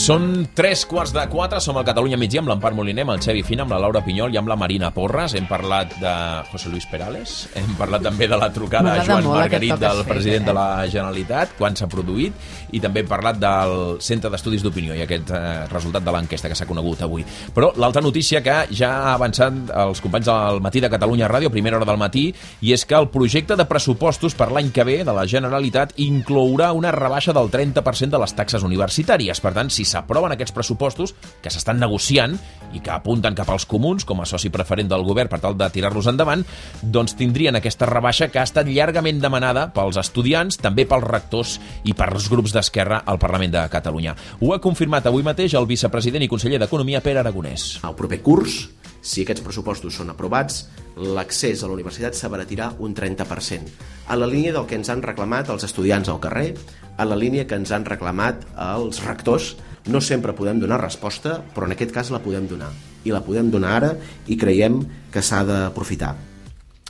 Són 3:15, som al Catalunya Migdia amb l'Empar Moliner, amb el Xavi Fina, amb la Laura Pinyol i amb la Marina Porres. Hem parlat de José Luis Perales, hem parlat també de la trucada a Joan Margarit del president de la Generalitat, quan s'ha produït, i també hem parlat del Centre d'Estudis d'Opinió i aquest resultat de l'enquesta que s'ha conegut avui. Però l'altra notícia que ja ha avançat els companys del Matí de Catalunya Ràdio, a primera hora del matí, i és que el projecte de pressupostos per l'any que ve de la Generalitat inclourà una rebaixa del 30% de les taxes universitàries. Per tant, si s'aproven aquests pressupostos, que s'estan negociant i que apunten cap als comuns com a soci preferent del govern per tal de tirar-los endavant, doncs tindrien aquesta rebaixa que ha estat llargament demanada pels estudiants, també pels rectors i pels grups d'Esquerra al Parlament de Catalunya. Ho ha confirmat avui mateix el vicepresident i conseller d'Economia, Pere Aragonès. El proper curs, si aquests pressupostos són aprovats, l'accés a la universitat s'abaratirà un 30%, a la línia del que ens han reclamat els estudiants al carrer, a la línia que ens han reclamat els rectors. No sempre podem donar resposta, però en aquest cas la podem donar. I la podem donar ara i creiem que s'ha d'aprofitar.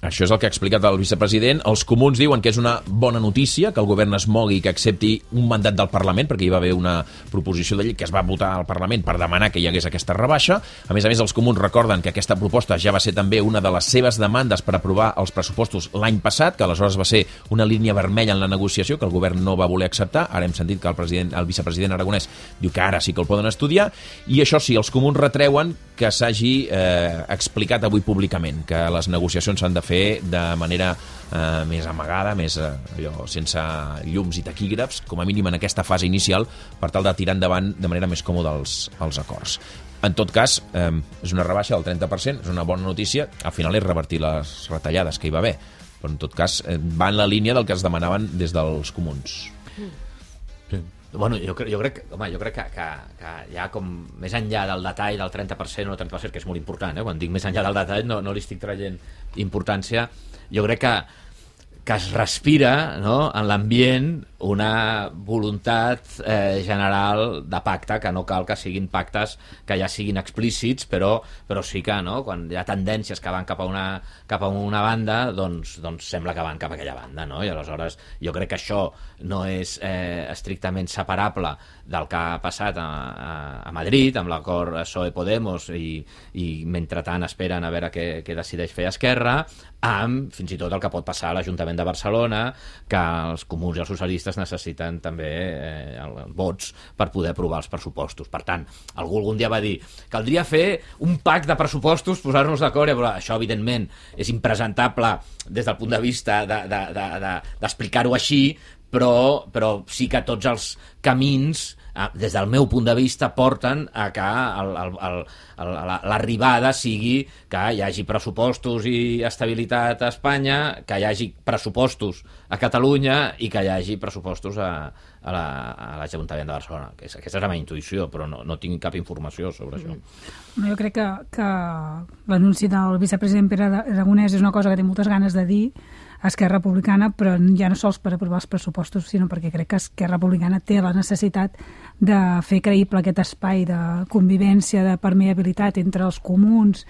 Això és el que ha explicat el vicepresident. Els comuns diuen que és una bona notícia que el govern es mogui i que accepti un mandat del Parlament, perquè hi va haver una proposició de llei que es va votar al Parlament per demanar que hi hagués aquesta rebaixa. A més, els comuns recorden que aquesta proposta ja va ser també una de les seves demandes per aprovar els pressupostos l'any passat, que aleshores va ser una línia vermella en la negociació que el govern no va voler acceptar. Ara hem sentit que el vicepresident Aragonès diu que ara sí que el poden estudiar, i això sí, els comuns retreuen que s'hagi explicat avui públicament, que les negociacions s'han de fer de manera més amagada, més sense llums i taquígrafs, com a mínim en aquesta fase inicial, per tal de tirar endavant de manera més còmoda els acords. En tot cas, és una rebaixa del 30%, és una bona notícia, al final és revertir les retallades que hi va haver, però en tot cas va en la línia del que es demanaven des dels comuns. Bueno, jo crec que ja com més enllà del detall del 30% o 30%, que és molt important, quan dic més enllà del detall no li estic traient importància, jo crec que es respira, no, en l'ambient una voluntat general de pacte, que no cal que siguin pactes que ja siguin explícits, però sí que, no, quan hi ha tendències que van cap a una banda, doncs sembla que van cap a aquella banda, no? I aleshores jo crec que això no és estrictament separable del que ha passat a Madrid amb l'acord PSOE-Podemos i mentrestant esperen a veure què decideix fer Esquerra, amb fins i tot el que pot passar a l'Ajuntament de Barcelona, que els comuns i els socialistes necessiten també vots per poder aprovar els pressupostos. Per tant, algú algun dia va dir caldria fer un pacte de pressupostos, posar-nos d'acord, però això evidentment és impresentable des del punt de vista d'explicar-ho així, però sí que tots els camins, des del meu punt de vista, porten a que l'arribada sigui que hi hagi pressupostos i estabilitat a Espanya, que hi hagi pressupostos a Catalunya i que hi hagi pressupostos a l'Ajuntament de Barcelona. Aquesta és la meva intuïció, però no tinc cap informació sobre això. Jo crec que l'anunci del vicepresident Pere Aragonès és una cosa que té moltes ganes de dir a Esquerra Republicana, però ja no sols per aprovar els pressupostos, sinó perquè crec que Esquerra Republicana té la necessitat de fer creïble aquest espai de convivència, de permeabilitat entre els comuns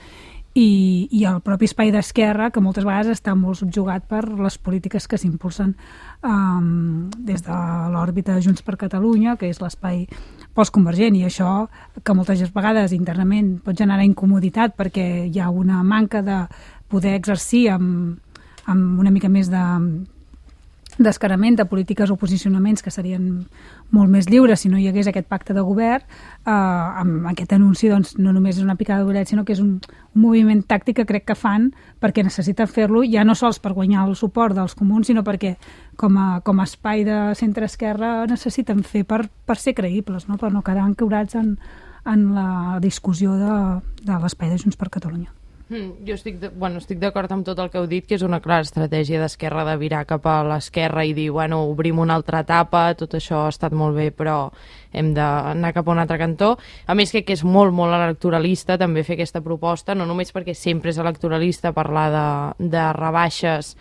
i el propi espai d'Esquerra, que moltes vegades està molt subjugat per les polítiques que s'impulsen des de l'òrbita de Junts per Catalunya, que és l'espai postconvergent, i això que moltes vegades internament pot generar incomoditat perquè hi ha una manca de poder exercir amb una mica més d'escarament de polítiques o posicionaments que serien molt més lliures si no hi hagués aquest pacte de govern. Amb aquest anunci doncs, no només és una picada d'orella, sinó que és un moviment tàctic que crec que fan perquè necessiten fer-lo, ja no sols per guanyar el suport dels comuns, sinó perquè com a espai de centre-esquerra necessiten fer per ser creïbles, no? Per no quedar ancorats en la discussió de l'espai de Junts per Catalunya. Jo estic d'acord amb tot el que heu dit, que és una clara estratègia d'Esquerra de virar cap a l'esquerra i dir, obrim una altra etapa, tot això ha estat molt bé, però hem d'anar cap a un altre cantó. A més, crec que és molt, molt electoralista també fer aquesta proposta, no només perquè sempre és electoralista parlar de rebaixes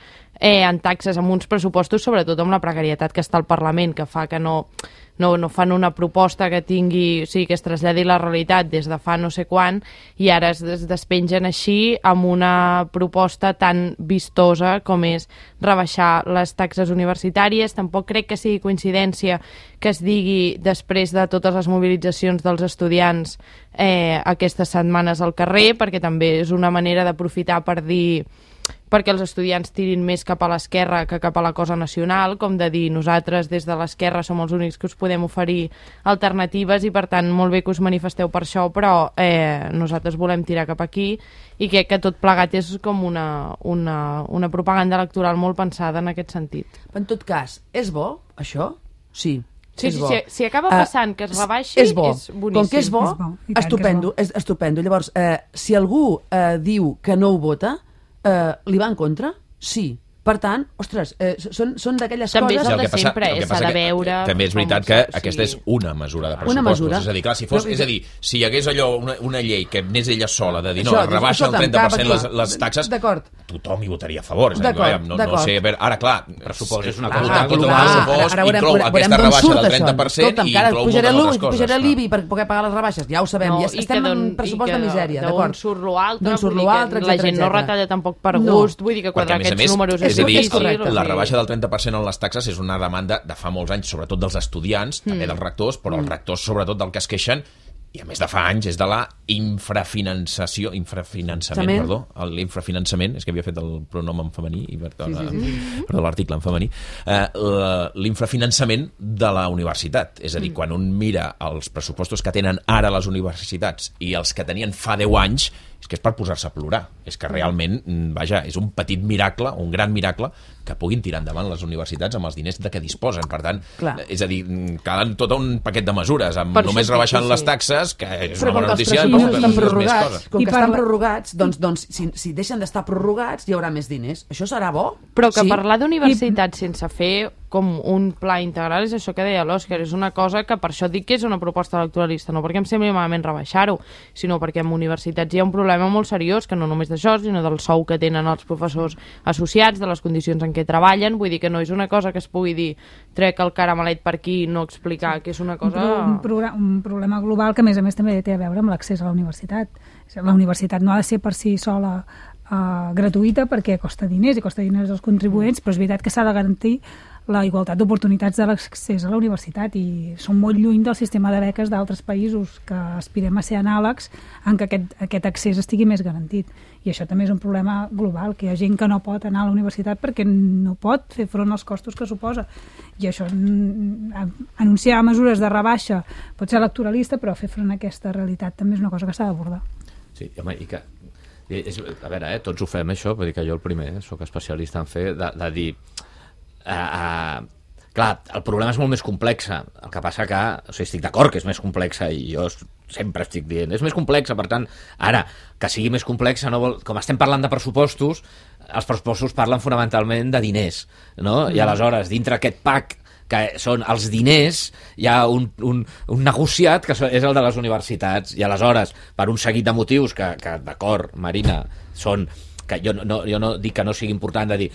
en taxes, amb uns pressupostos, sobretot amb la precarietat que està al Parlament, que fa que no fan una proposta que tingui, o sigui, que es traslladi la realitat des de fa no sé quan, i ara es despengen així amb una proposta tan vistosa com és rebaixar les taxes universitàries. Tampoc crec que sigui coincidència que es digui després de totes les mobilitzacions dels estudiants aquestes setmanes al carrer, perquè també és una manera d'aprofitar per dir perquè els estudiants tirin més cap a l'esquerra que cap a la cosa nacional, com de dir nosaltres des de l'esquerra som els únics que us podem oferir alternatives i per tant molt bé que us manifesteu per això, però nosaltres volem tirar cap aquí, i crec que tot plegat és com una propaganda electoral molt pensada en aquest sentit. En tot cas, és bo això? Sí. Si acaba passant que es rebaixi, és boníssim. Com que és bo, estupendo. Llavors, si algú diu que no ho vota, li va en contra? Sí. Per tant, ostres, són d'aquelles coses... També és el de sempre, s'ha de veure... També és veritat que aquesta és una mesura de pressupostos. És a dir, clar, si hi hagués allò, una llei que anés ella sola de dir no, rebaixa el 30% les taxes, tothom hi votaria a favor. No sé, ara, clar, pressupost és una cosa global, inclou aquesta rebaixa del 30% i inclou moltes altres coses. Pujarà l'IBI per poder pagar les rebaixes, ja ho sabem, estem en pressupost de misèria, d'acord? D'on surt l'altre, la gent no retalla tampoc per gust, vull dir que quadrar aquests números és a dir, la rebaixa del 30% en les taxes és una demanda de fa molts anys, sobretot dels estudiants, també dels rectors, però els rectors sobretot del que es queixen, i a més de fa anys, és de la l'infrafinançament, és que havia fet el pronom en femení, perdó, l'article en femení, l'infrafinançament de la universitat. És a dir, quan un mira els pressupostos que tenen ara les universitats i els que tenien fa 10 anys, és que és per posar-se a plorar. És que realment, vaja, és un petit miracle, un gran miracle, que puguin tirar endavant les universitats amb els diners de què disposen. Per tant, és a dir, calen tot un paquet de mesures, amb només rebaixant les taxes, que és una bona notícia, com que estan prorrogats, doncs si deixen d'estar prorrogats hi haurà més diners. Això serà bo? Però que parlar d'universitats sense fer com un pla integral és això que deia l'Òscar, és una cosa que per això dic que és una proposta electoralista, no perquè em sembli malament rebaixar-ho, sinó perquè en universitats hi ha un problema molt seriós, que no només d'això, sinó del sou que tenen els professors associats, de les condicions en què treballen, vull dir que no és una cosa que es pugui dir trec el caramelet per aquí i no explicar que és una cosa... Un problema global que a més també té a veure amb l'accés a la universitat. La universitat no ha de ser per si sola gratuïta perquè costa diners i costa diners als contribuents, però és veritat que s'ha de garantir la igualtat d'oportunitats de l'accés a la universitat i som molt lluny del sistema de beques d'altres països que aspirem a ser anàlegs en què aquest accés estigui més garantit. I això també és un problema global, que hi ha gent que no pot anar a la universitat perquè no pot fer front als costos que suposa. I això, anunciar mesures de rebaixa pot ser electoralista, però fer front a aquesta realitat també és una cosa que s'ha d'abordar. Sí, home, i que... a veure, tots ho fem, això, vull dir que jo el primer sóc especialista en fer, de dir... clar, el problema és molt més complexa, el que passa que estic d'acord que és més complexa i jo sempre estic dient, és més complexa, per tant ara, que sigui més complexa no vol, com estem parlant de pressupostos, els pressupostos parlen fonamentalment de diners, no? I aleshores dintre aquest pack que són els diners, hi ha un negociat que és el de les universitats, i aleshores per un seguit de motius que d'acord, Marina, són que jo no dic que no sigui important de dir,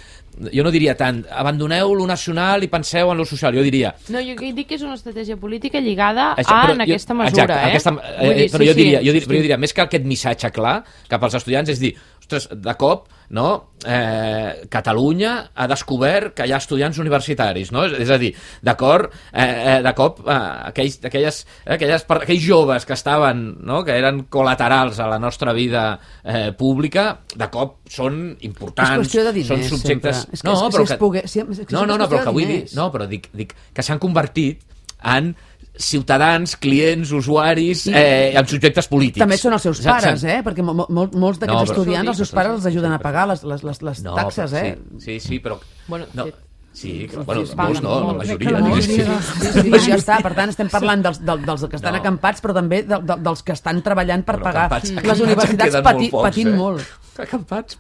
jo no diria tant abandoneu lo nacional i penseu en lo social, jo diria... No, jo dic que és una estratègia política lligada aquesta mesura, exacte, però jo diria, més que aquest missatge clar cap als estudiants, és dir, ostres, de cop, no, Catalunya ha descobert que hi ha estudiants universitaris, no? És a dir, d'acord, de cop aquells joves que estaven, no, que eren col·laterals a la nostra vida pública, de cop són importants, són subjectes... Però que vull dir, no, però dic que s'han convertit en ciutadans, clients, usuaris, amb subjectes polítics. També són els seus pares, perquè molts d'aquests estudiants, els seus pares els ajuden a pagar les taxes, Sí, però... Sí, molts no, la majoria. Ja està, per tant estem parlant dels que estan acampats, però també dels que estan treballant per pagar les universitats patint molt. Acampats